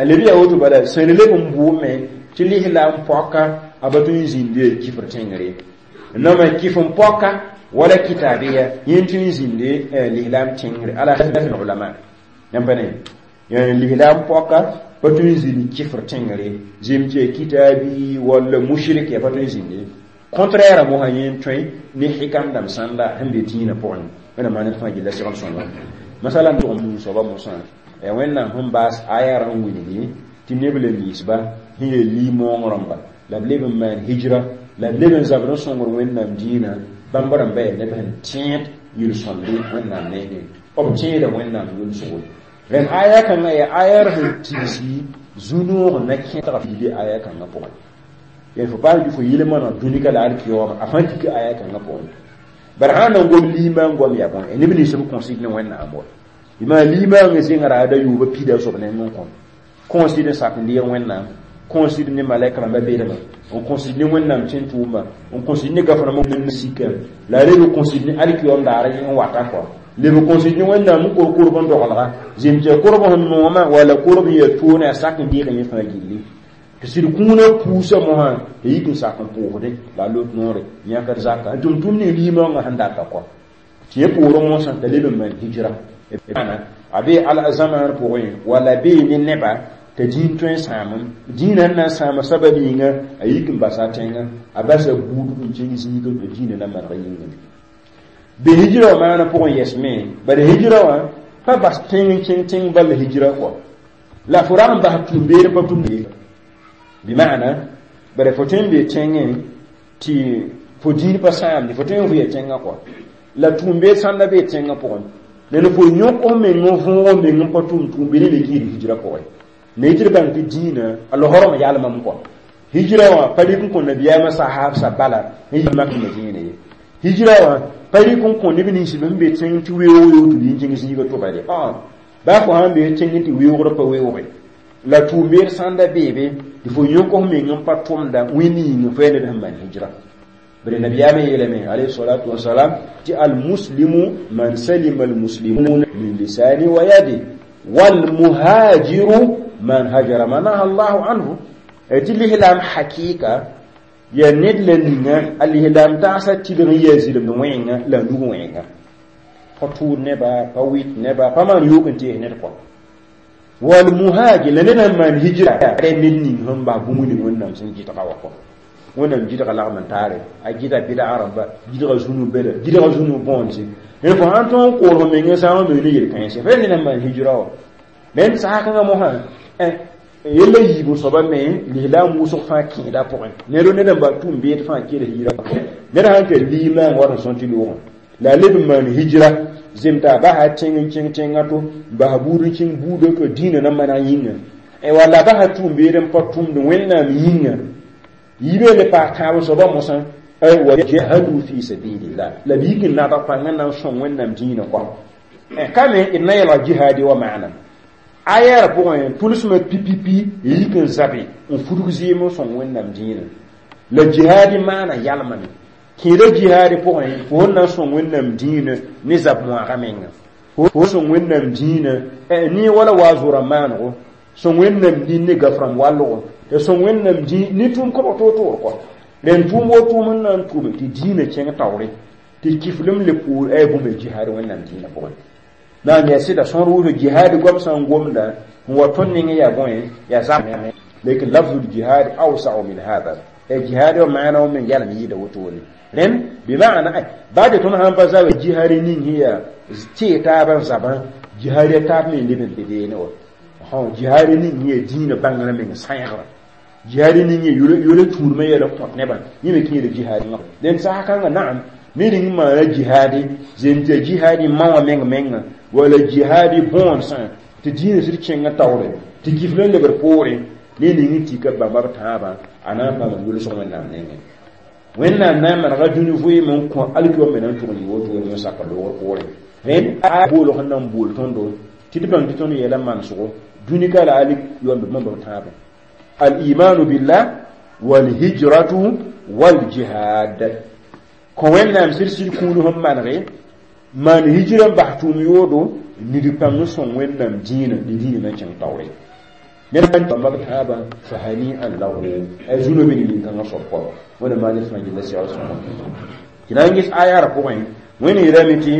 leb yaa woto bala sẽn leb n bʋʋme tɩ lislaam pɔka a ba tõe n zĩnde kifr tẽngre nama kif n pɔka wala kitabiya yẽ tõe n zĩnde lislaam tẽngre ala ulama yãmb pa ne lislaam pɔka pa tõe n zĩnd kifr tẽngre zem tɩ ya kitabi walla mushrik ya pa tõe n zĩnde contraire mosã yẽ n tõe ne hikam dãmb sãnda sẽn be dĩinã pʋgẽ wẽnnaam maan ned fãa gilla segl sõngo masala n tʋg n soaba mosã ya wẽnnaam sẽn baas aya rã n wilgi tɩ neb la ninsba sẽn yel liimoong rãmba la b leb n maan hijra la b leb n zabd n sõngr wẽnnaam dĩinã bãmb rãmba yaa neb sẽn tẽed yel-sõmde wẽnnaam nengẽ b tẽeda wẽnnaam yʋlsgo rẽnd aya kãngã yaa aya sẽn tigsi zu-noog na kẽtga be aya kãngã pʋgẽ yaa fo paam fo yɩl maneg dũnika la alkiyooma a fãa tik aya kãngã pʋgẽ bara sã n na n gom liimã n goam yaa bõe neb nins b kõsd ne wẽnnaam wa bɩ liimã zẽngra da yʋʋba pida soab neng n kõ kõsd n sak n deeg wẽnnaam kõsd ne malɛk rãmba bedma n kõsd ne wẽnnaam tẽn tʋʋma n kõsd ne gaf-rãmba n sika la a leb kõsd ne alkiyoom daara n wata kɔa leb kõsd ne wẽnnaam n kor korb n dogelga zem tɩ ya korb sẽn nooma walla korb n yaa toone a sak n deeg yẽ fãa gilli tɩ sɩd kũunã puusã mosã tɩ yik n sak n pʋʋsdẽ la a lot noore yãkd zaka n tʋm-tʋmd ning liimãongã sẽn data kɔ tɩ yẽ poorẽ mosã t'a leb n maan hijra a bee al zamaan pʋgẽ walla bee ne neba t'a dĩin tõe n sãamem dĩinã sẽn na n sãama sabab yĩnga a yik n basa tẽngã a basa buudg n kẽng zĩiga tɩ dĩinã na maneg yĩngã be hijra wã maana pʋgẽ yɛsme bala hijra wã pa bas tẽng n kẽng tẽng bal hijra kɔ la fo rag n bas tũum-beer pa tũm bɩmaana bara fo tõe n be tẽngẽ tɩ fo dĩin pa sãamde fo tõe n vʋya tẽngã kɔ la tũum-beer sãnda bee tẽngã pʋgẽ ned fo yõk f meng n võog meng n pa tʋm tũum-beer le kɩɩd hijra pʋgẽ na yɩ tɩ d bãng tɩ dĩinã a losrem yalmame kɔ hijra wã pa rɩk n kõ nabiyaamã sahaabsã bala n yi mak madiina ye hijra wã pa rɩk n kõ neb nins sẽn be tẽng tɩ weoog yo tɩ b yĩn kẽng zĩiga tʋba de baa fo sãn be tẽng tɩ weoogrã pa weooge la tũum-beer sãnda beebe tɩ fo yõk f meng n pa tʋmda wẽnd yĩng fo yaa ned sẽn maan hijra bari nabiyaamã yeelame alayhi salatu wasalam tɩ almuslimu man salima almuslimuna min lisani wa yadi walmuhajiru man hajara ma naha allahu anhu tɩ lislaam hakɩɩka yaa ned la ninga a lislaam tagsã tɩlg n yaa zɩlemd wẽenga la a nug wẽenga pa tʋʋd neba pa wɩt neba pa maan yoog n tees ned kɔ walmuhajir la ned sẽn maan hijra ned ning sẽn bas bũmb ning wẽnnaam sẽn gɩdga wa kɔ wẽnnaam gɩdga lagm n taare a gɩda bɩdga rãmba gɩdga zũnu bela gɩdga zũnu bõonse fo sãn tõog n koor fo meng sãam meng ne yel-kãense fo yaa ned sẽn maan hijra wa rẽnd sasa kãngã mosã yella yiib soaba me lislaam wʋsg fãa kẽeda pʋgẽ ned ned n ba tũum beed fãa kell hijra ned sãn tar liimãang wa sẽn sõn tɩ loogã la a leb n maan hijra zem t'a basa tẽng n kẽng tẽngã to bas buud n kẽng buudã to dĩinã na maneg yĩnga walla basa tũum-beed n pa tʋmd wẽnnaam yĩnga yiibã le paas tãab soaba mosã wa jahadu fi sabilillah la b yik n nadg pãng n na n sõng wẽnnaam dĩinã kɔ ka me d na yɛlg jihaadi wa maana aya pʋgẽ tʋlsmã pipipi yik n zabe n fudg zɩɩm n sõng wẽnnaam dĩinã la jihaadi maana yalmame kẽeda jihaadi pʋgẽ fo sẽn na n sõng wẽnnaam dĩinã ne zab moaga menga fo sõng wẽnnaam dĩinã ne wala wa zʋra maanego sõng wẽnnaam nin ne gaf rãmb wallgo Tɩ sõng Wẽnnaam dĩ ne tʋʋm kõbg toor-toor kɔ rẽnd tʋʋm wo tʋʋm n na n tʋʋme tɩ dĩinã kẽng taoore tɩ kiflem le poor ay bũmb jihaad Wẽnnaam dĩinã pʋgẽ na n yaa sɩda sõor wʋsgo jihaad goam sã n gomda n wa tõnd nengẽ yaa bõe yaa zab lekin lafzu ljihad awsau min hada jihad wa maana wa men yalm yɩɩda wotone rẽnd bɩmaana baa tɩ tõnd sãn pa zaba jihaad ning sẽn yaa tee taabã zabã jihaad ya taab me leb n be beene wa jihaad ning sẽn yaa dĩinã bãngrã meng sãengrã jihaad ning yaa yʋl tũudmã yɛl n kõt nebã yẽ me kẽeda jihaad dẽnd sasa kãngã naam ned n maana jihaadi zem tɩ jihaadi ma wã meng menga wala jihaadi bõodsã tɩ dĩinã sɩd kẽngã taoore tɩ kifl n lebd poorẽ ne ning n tika bãmba b tãabã a na n paam yʋlsg Wẽnnaam nengẽ Wẽnnaam na n manega dũni vɩɩm n kõ alkiwã me na n tʋg n yɩ wotone n sak loogr poorẽ rẽnd a boolg sẽn na n bool tõndo tɩ d bãng tɩ tõnd yɛla manesgo dũni ka la alik yoambe bãmba b tãabã al-imanu billah walhijratu waljihad kõ Wẽnnaam sɩd kũuni sẽn manege maan hijra n bas tʋʋm yoodo nid pãng n sõng Wẽnnaam dĩinã ne dĩinã na n kẽng taoore ned bãmba b tãabã fa hani'an lahu a zũno be ne nin-kãngã soab kɔ Wẽnnaam maan fãa gilla segl sõngo tɩ na n ges ayara pʋgẽ Wẽnd yeelame tɩ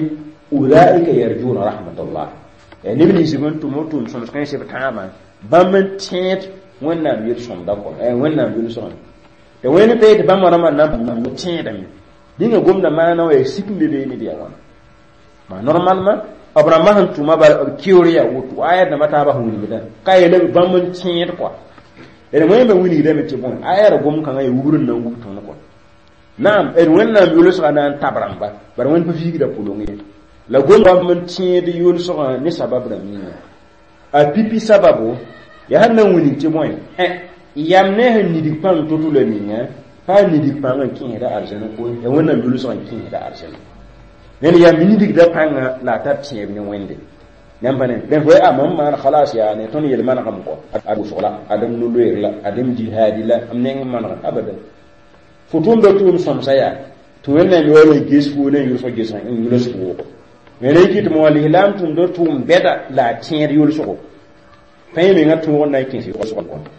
ulaika yarjuna rahmatallah neb nins sẽn tʋm tʋʋm sõms kãens b tãabã bãmb n tẽed Wẽnnaam yel-sõmda kɔ Wẽnnaam yʋlsgã tɩ Wẽnd pe tɩ bãmb rãmbã na n tẽedame dĩnga gomda maana wa yaa sik n be beene bɩ yaa wãna ma normalement b rãmbã sẽn tʋma bala b keoor yaa woto aya dãmbã taabã sẽn wilgdã ka yeela bãmb n tẽed kɔa d wẽnda wilgdame tɩ bõe aya ra gom kãngã yaa wubr n na n wub tõnd kɔa naam d Wẽnnaam yʋlsgã na n tab rãmba bara Wẽnd pa viigda pʋlong ye la gom bãmb n tẽed yʋlsgã ne sabab rãmb yĩnga a pipi sababo yaa sẽn na n wilg tɩ bõe yam ne sẽn nidg pãng to-to la ninga pa nidg pãng n kẽesda arzɛn koe ya Wẽnnaam yʋlsgã n kẽesda arzɛn ned yam nidgda pãnga la a tar tẽeb ne Wẽnde yãmb pa ne dẽn fo a mam maan khalas yaa ne tõnd yel manegame kɔ a wʋsg la adem no-loeer la adem jihaadi la m neng n manega abadan fo tʋmda tʋʋm sõmsa yaa tɩ Wẽnnaam yaool n ges fo ne n yʋlsg gesg n yʋls wʋʋgo wẽna yikɩ tɩ mo alislam tʋmda tʋʋm bɛda la a tẽed yʋlsgo pãe mengã tõog n na n kẽes yʋlsg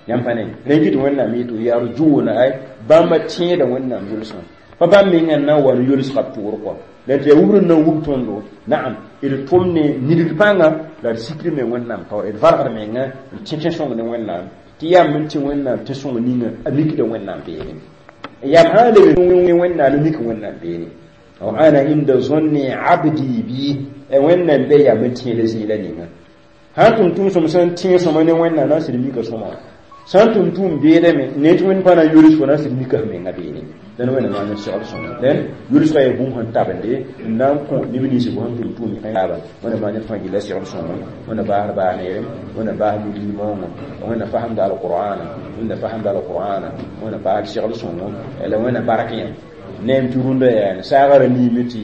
yãmb pa ne rẽ kɩ tɩ Wẽnnaam yetɩ yarjuna ay bãmba tẽeda Wẽnnaam yʋlsgã pa bãmb mengã n na n wa n yʋlsga b tʋʋr kɔ la tɩ yaa wubr n na n wub tõndo naam d tʋm ne nidg pãnga la d sikr me Wẽnnaam taoor d valgd menga n tẽ tẽ-sõng ne Wẽnnaam tɩ yam n tẽ Wẽnnaam tẽ-sõng ninga a mikda Wẽnnaam beene yam sã n leb Wẽnnaam n mik Wẽnnaam beene ana inda zonni abdi bi Wẽnnaam be yam n tẽeda zĩila ninga sãn tʋm tʋʋm sõm sẽn tẽ sõma ne Wẽnnaam na n sɩd mika sõma sã n tʋm tʋʋm beedame ne tɩ Wẽnd pa na n yʋls fo na n sɩd mika f menga beene dẽn Wẽnnaam maan segl sõma dẽn yʋlsgã yaa bũmb sẽn tabende n na n kõ neb nins b sẽn tʋm tʋʋm taaba Wẽnnaam maan fãa gilla segl sõngo Wẽnnaam baasd baas neerem Wẽnnaam baas wilg-moongo Wẽnnaam fasemda alqur'ana Wẽnnaam fasemda alqur'ana Wẽnnaam baasd segl sõngo la Wẽnnaam bark yã neem tɩ rũndã yaa saagã ra niime tɩ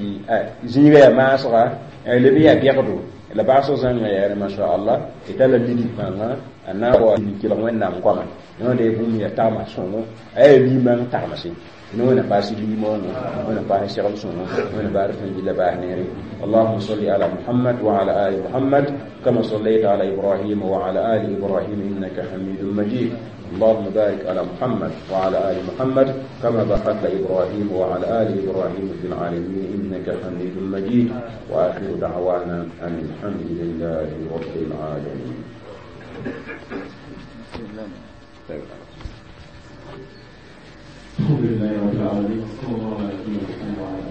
zĩiga yaa maasga leb yaa bɛgdo la baasg zãnga yaa masha Allah tɩ tara nidg pãnga a na n wa n kelg Wẽnnaam goama yõode bũmb yaa tagma sõngo a yaa limang tagmse Wẽnnaam paas limoongo Wẽnnaam paas segl sõngo Wẽnnaam baar fãa gilla baas neere اللهم صل على محمد وعلى آل محمد كما صليت على إبراهيم وعلى آل إبراهيم إنك حميد مجيد اللهم بارك على محمد وعلى آل محمد كما باركت إبراهيم وعلى آل إبراهيم في العالمين إنك حميد مجيد وآخر دعوانا أن الحمد لله رب العالمين. الحمد لله رب العالمين، صلى الله على نبينا محمد وعلى